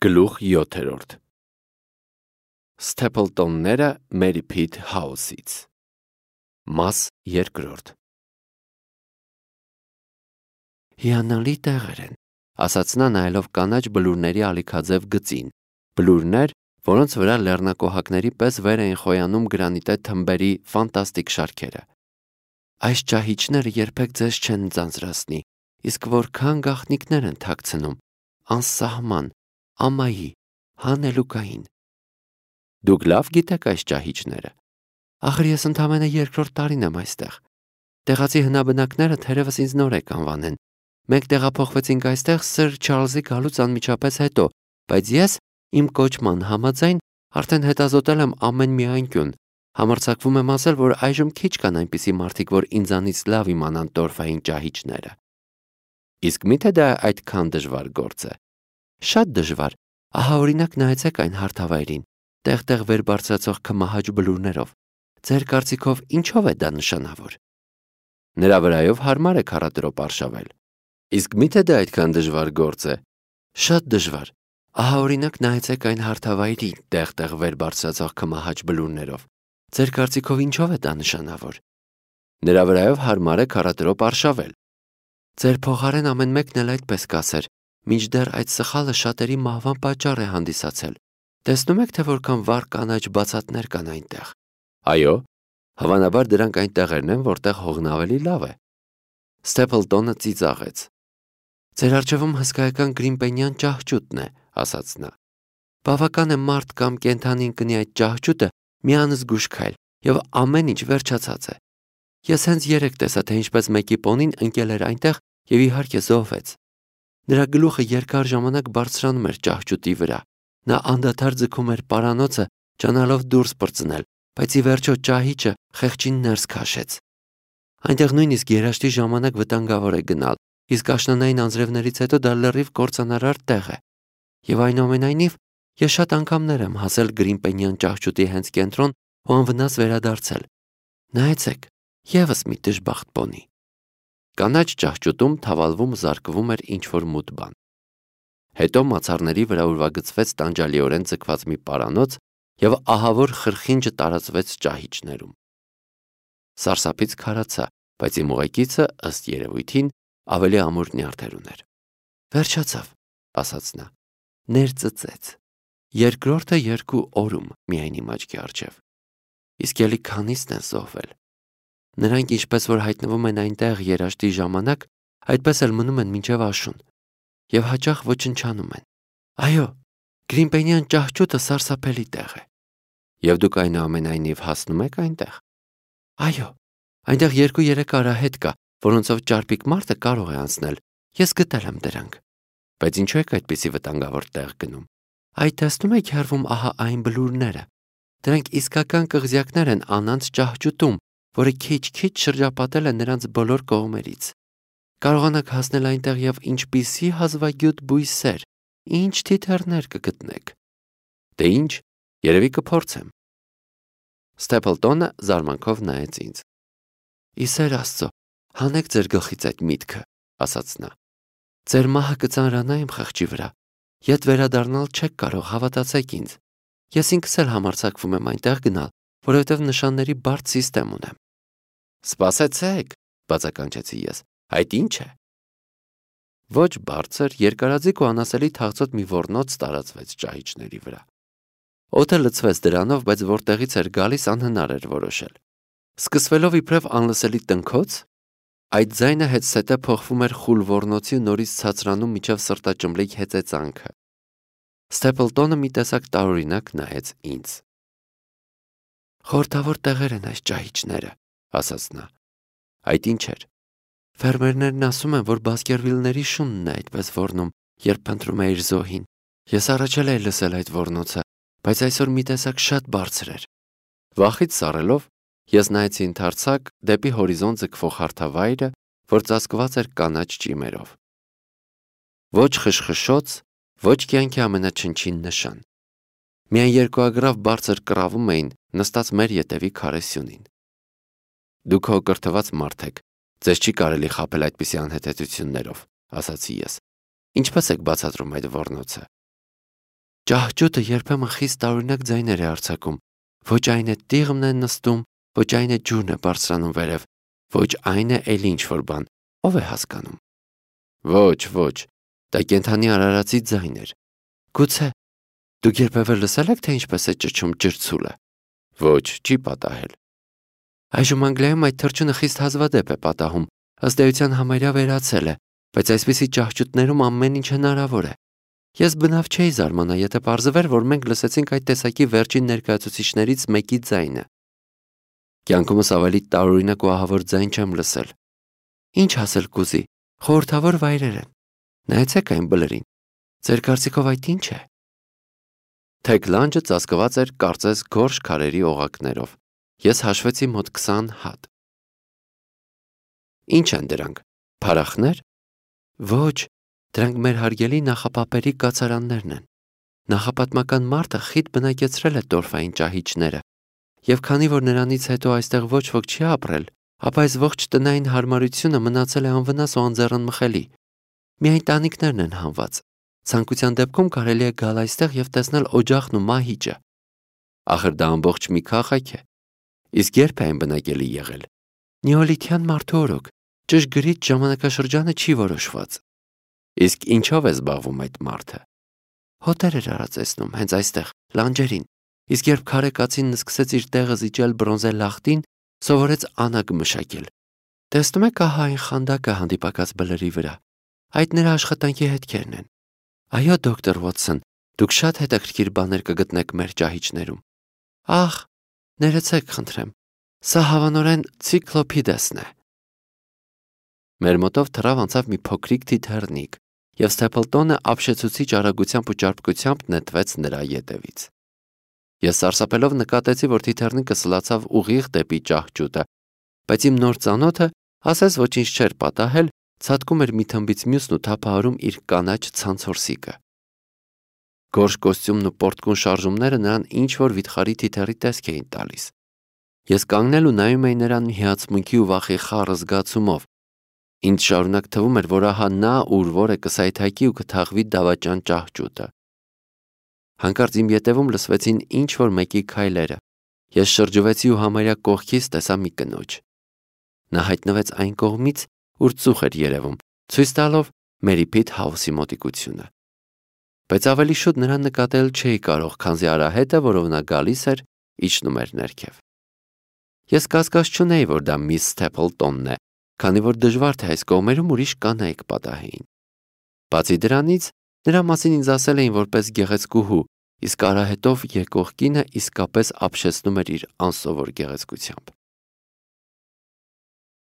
Գլուխ 7. Սթեփլտոնները Մերի Փիթ Հաուսից Մաս 2. Հիանալի տեղեր են, ասաց նա նայելով կանաչ բլուրների ալիքաձև գծին, բլուրներ, որոնց վրա լեռնակոհակների պես վեր էին խոյանում գրանիտե թմբերի ֆանտաստիկ շարքերը։ Այս ճահիճները երբեք ձեզ չեն ձանձրացնի, իսկ որքան գաղտնիքներ են թաքցնում, անսահման, ամայի, հանելուկային։ Դուք լավ գիտեք այս ճահիճները։ Ախր ես ընդամենը երկրորդ տարին եմ այստեղ։ Տեղացի հնաբնակները թերևս ինձ նոր եք անվանեն։ Մենք տեղափոխվեցինք այստեղ Սր Չարլզի գալուց անմիջապես հետո, բայց ես իմ կոչման համաձայն արդեն հետազոտել եմ ամեն մի անկյուն։ Համարձակվում եմ ասել, որ այժմ քիչ կան այնպիսի մարդիկ, որ ինձանից լավ իմանան տորֆային ճահիճները։ Իսկ միթե դա այդքան դժվար գործ է։ Շատ դժվար։ Ահա օրինակ նայեցեք այն հարթավայրին, տեղ-տեղ վեր բարձրացող քմահաճ բլուրներով։ Ձեր կարծիքով ինչով է դա նշանավոր։ Նրա վրայով հարմար է քառատրոպ արշավել։ Իսկ միթե դա այդքան դժվար գործ է։ Շատ դժվար։ Ահա օրինակ նայեցեք այն հարթավայրին, տեղ-տեղ վեր բարձրացող քմահաճ բլուրներով։ Ձեր կարծիքով ինչով է դա նշանավոր։ Նրա վրայով հարմար է քառատրոպ արշավել։ Ձեր փոխարեն ամեն մեկն էլ այդպես կասեր, մինչդեռ այդ սխալը շատերի մահվան պատճառ է հանդիսացել։ Տեսնում եք, թե որքան վառ կանաչ բացատներ կան այնտեղ։ Այո, հավանաբար դրանք այն տեղերն են, որտեղ հողն ավելի լավ է։ Սթեփլտոնը ծիծաղեց։ Ձեր առջևում հսկայական գրիմպենյան ճահճուտն է, ասաց նա։ Բավական է մարդ կամ կենդանի ընկնի այդ ճահճուտը մի անզգույշ քայլ, եւ ամեն ինչ վերջացած է։ Ես հենց երեկ տեսա, թե ինչպես մեկի պոնին ընկել էր այնտեղ եւ իհարկե զոհվեց։ Նրա գլուխը երկար ժամանակ բարձրանում էր ճահճուտի վրա։ Նա անդադար ձգում էր պարանոցը, ճանալով դուրս պրծնել, բայց ի վերջո ճահիճը խեղճին ներս քաշեց։ Այնտեղ նույնիսկ երաշտի ժամանակ վտանգավոր է գնալ, իսկ աշնանային անձրևներից հետո դա լրիվ կործանարար տեղ է։ Եվ այնուամենայնիվ ես շատ անգամներ եմ հասել գրիմպենյան ճահճուտի հենց կենտրոն ու անվնաս վերադարձել։ Նայեցեք, եւս մի դժբախտ պոնի։ Կանաչ ճահճուտում թավալվում զարկվում էր ինչ-որ մութ բան։ Հետո մացառների վրա ուրվագծվեց տանջալիորեն ձգված մի պարանոց եւ ահավոր խրխինջը տարածվեց ճահիճներում։ Սարսափից քարացա, բայց իմ ուղեկիցը ըստ երևույթին ավելի ամուր նյարդեր ուներ։ Վերջացավ, ասաց նա։ Ներծծեց։ Երկրորդը 2 օրում միայն իմ աչքի առջև։ Իսկ ելի քանիսն են զոհվել։ Նրանք ինչպես որ հայտնվում են այնտեղ երաշտի ժամանակ, այդպես էլ մնում են մինչև աշուն եւ հաճախ ոչնչանում են։ Այո, գրիմպենյան ճահճուտը սարսափելի տեղ է։ Եվ դուք այնուամենայնիվ հասնում եք այնտեղ։ Այո, այնտեղ 2-3 արահետ կա, որոնցով ճարպիկ մարդը կարող է անցնել։ Ես գտել եմ դրանք։ Բայց ինչու եք այդպիսի վտանգավոր տեղ գնում։ Այդ տեսնում եք հեռվում ահա այն բլուրները։ Դրանք իսկական կղզյակներ են անանց ճահճուտում, որը քիչ-քիչ շրջապատել է նրանց բոլոր կողմերից։ Կարողանաք հասնել այնտեղ եւ ինչպիսի հազվագյուտ բույսեր, ինչ թիթեռներ կգտնեք։ Դե ինչ, երևի կփորձեմ։ Սթեփլտոնը զարմանքով նայեց ինձ։ Իսեր Աստծո, հանեք ձեր գլխից այդ միտքը, ասաց նա։ Ձեր մահը կծանրանա իմ խղճի վրա։ Ետ վերադառնալ չեք կարող, հավատացեք ինձ։ Ես ինքս էլ համարձակվում եմ այնտեղ գնալ, որովհետև նշանների բարդ սիստեմ ունեմ։ Սպասեցեք, բացականչեցի ես։ Այդ ինչ է։ Ոչ բարձր, երկարաձիգ ու անասելի թաղծոտ մի ոռնոց տարածվեց ճահիճների վրա։ Օդը լցվեց դրանով, բայց որտեղից էր գալիս անհնար էր որոշել։ Սկսվելով իբրև անլսելի տնքոց, այդ ձայնը հետսետե փոխվում էր խուլ ոռնոցի ու նորից ցածրանում միջև սրտաճմլիկ հեծեծանքը։ Սթեփլտոնը մի տեսակ տարօրինակ նայեց ինձ։ Խորհրդավոր տեղեր են այս ճահիճները, ասաց նա։ Այդ ինչ էր։ Ֆերմերներն ասում են, որ Բասկերվիլների շունն է այդպես ոռնում, երբ փնտրում է իր զոհին։ Ես առաջել էի լսել այդ ոռնոցը, բայց այսօր մի տեսակ շատ բարձր էր։ Վախից սառելով, ես նայեցի ընդարձակ դեպի հորիզոն ձգվող հարթավայրը, որ ծածկված էր կանաչ ճիմերով։ Ոչ խշխշոց, ոչ կյանքի ամենաչնչին նշան։ Միայն երկուագրավ բարձր կռավում էին նստած մեր ետևի քարե սյունին։ Դուք հո կրթված մարդ եք, ձեզ չի կարելի խաբել այդպիսի անհետեցություններով, ասացի ես։ Ինչպես եք բացատրում այդ ոռնոցը։ Ճահճուտը երբեմն խիստ տարօրինակ ձայներ է արձակում, ոչ այն է տիղմն է նստում, ոչ այն է ջուրն է բարձրանում վերև, ոչ այն է էլ ինչ-որ բան, ով է հասկանում։ Ոչ, դա կենդանի արարածի ձայն էր։ Գուցե դուք երբևէ լսել եք, թե ինչպես է ճչում ջրցուլը։ Ոչ, չի պատահել։ Այժմ Անգլիայում այդ թռչունը խիստ հազվադեպ է պատահում, ըստ էության համարյա վերացել է, բայց այսպիսի ճահճուտներում ամեն ինչ հնարավոր է։ Ես բնավ չէի զարմանա, եթե պարզվեր, որ մենք լսեցինք այդ տեսակի վերջին ներկայացուցիչներից մեկի ձայնը։ Կյանքումս ավելի տարօրինակ ու ահավոր ձայն չեմ լսել։ Ինչ ասել կուզի, խորհրդավոր վայրեր են։ Նայեցեք այն բլրին։ Ձեր կարծիքով այդ ինչ է։ Թեք լանջը ծածկված էր կարծես գորշ քարերի օղակներով։ Ես հաշվեցի մոտ 20 հատ։ Ինչ են դրանք։ Փարախներ։ Ոչ, դրանք մեր հարգելի նախապապերի կացարաններն են։ Նախապատմական մարդը խիտ բնակեցրել է տորֆային ճահիճները, եւ քանի որ նրանից հետո այստեղ ոչ ոք չի ապրել, ապա այս ողջ տնային հարմարությունը մնացել է անվնաս ու անձեռնմխելի։ Միայն տանիքներն են հանված։ Ցանկության դեպքում կարելի է գալ այստեղ եւ տեսնել օջախն ու մահիճը։ Ախր դա ամբողջ մի քաղաք է։ Իսկ երբ է այն բնակելի եղել։ Նեոլիթյան մարդու օրոք, ճշգրիտ ժամանակաշրջանը չի որոշված։ Իսկ ինչով է զբաղվում այդ մարդը։ Հոտեր էր արածեցնում հենց այստեղ, լանջերին, իսկ երբ քարե կացինն սկսեց իր տեղը զիջել բրոնզե լախտին, սովորեց անագ մշակել։ Տեսնում եք ահա այն խանդակը հանդիպակաց բլրի վրա։ Այդ նրա աշխատանքի հետքերն են։ Այո, դոկտոր Ուոտսոն, դուք շատ հետաքրքիր բաներ կգտնեք մեր ճահիճներում։ Ախ, ներեցեք, խնդրեմ։ Սա հավանորեն ցիկլոպիդեսն է։ Մեր մոտով թռավ անցավ մի փոքրիկ թիթեռնիկ, եւ Ստեփլտոնը ապշեցուցիչ արագությամբ ու ճարպկությամբ նետվեց նրա ետևից։ Ես սարսափելով նկատեցի, որ թիթեռնիկը սլացավ ուղիղ դեպի ճահճուտը, բայց իմ նոր ծանոթը, ասես ոչինչ չէր պատահել, ցատկում էր մի թմբից մյուսն ու թափահարում իր կանաչ ցանցորսիկը։ Գորշ կոստյումն ու պորտկուն շարժումները նրան ինչ-որ վիթխարի թիթեռի տեսք էին տալիս։ Ես կանգնել ու նայում էի նրան հիացմունքի ու վախի խառը զգացումով։ Ինձ շարունակ թվում էր, որ ահա նա ուր որ է կսայթակի ու կթաղվի դավաճան ճահճուտը։ Հանկարծ իմ ետևում լսվեցին ինչ-որ մեկի քայլերը։ Ես շրջվեցի ու համարյա կողքից տեսա մի կնոջ։ Նա հայտնվեց այն կողմից, ուր ծուխ էր երևում, ցույց տալով Մերիփիթ Հաուսի մոտիկությունը։ Բայց ավելի շուտ նրան նկատել չէի կարող, քանզի արահետը, որով նա գալիս էր, իջնում էր ներքև։ Ես կասկած չունեի, որ դա միս Ստեփլտոնն է, քանի որ դժվար թե այս կողմերում ուրիշ կանայք պատահեին։ Բացի դրանից, նրա մասին ինձ ասել էին որպես գեղեցկուհու, իսկ արահետով եկող կինը իսկապես ապշեցնում էր իր անսովոր գեղեցկությամբ։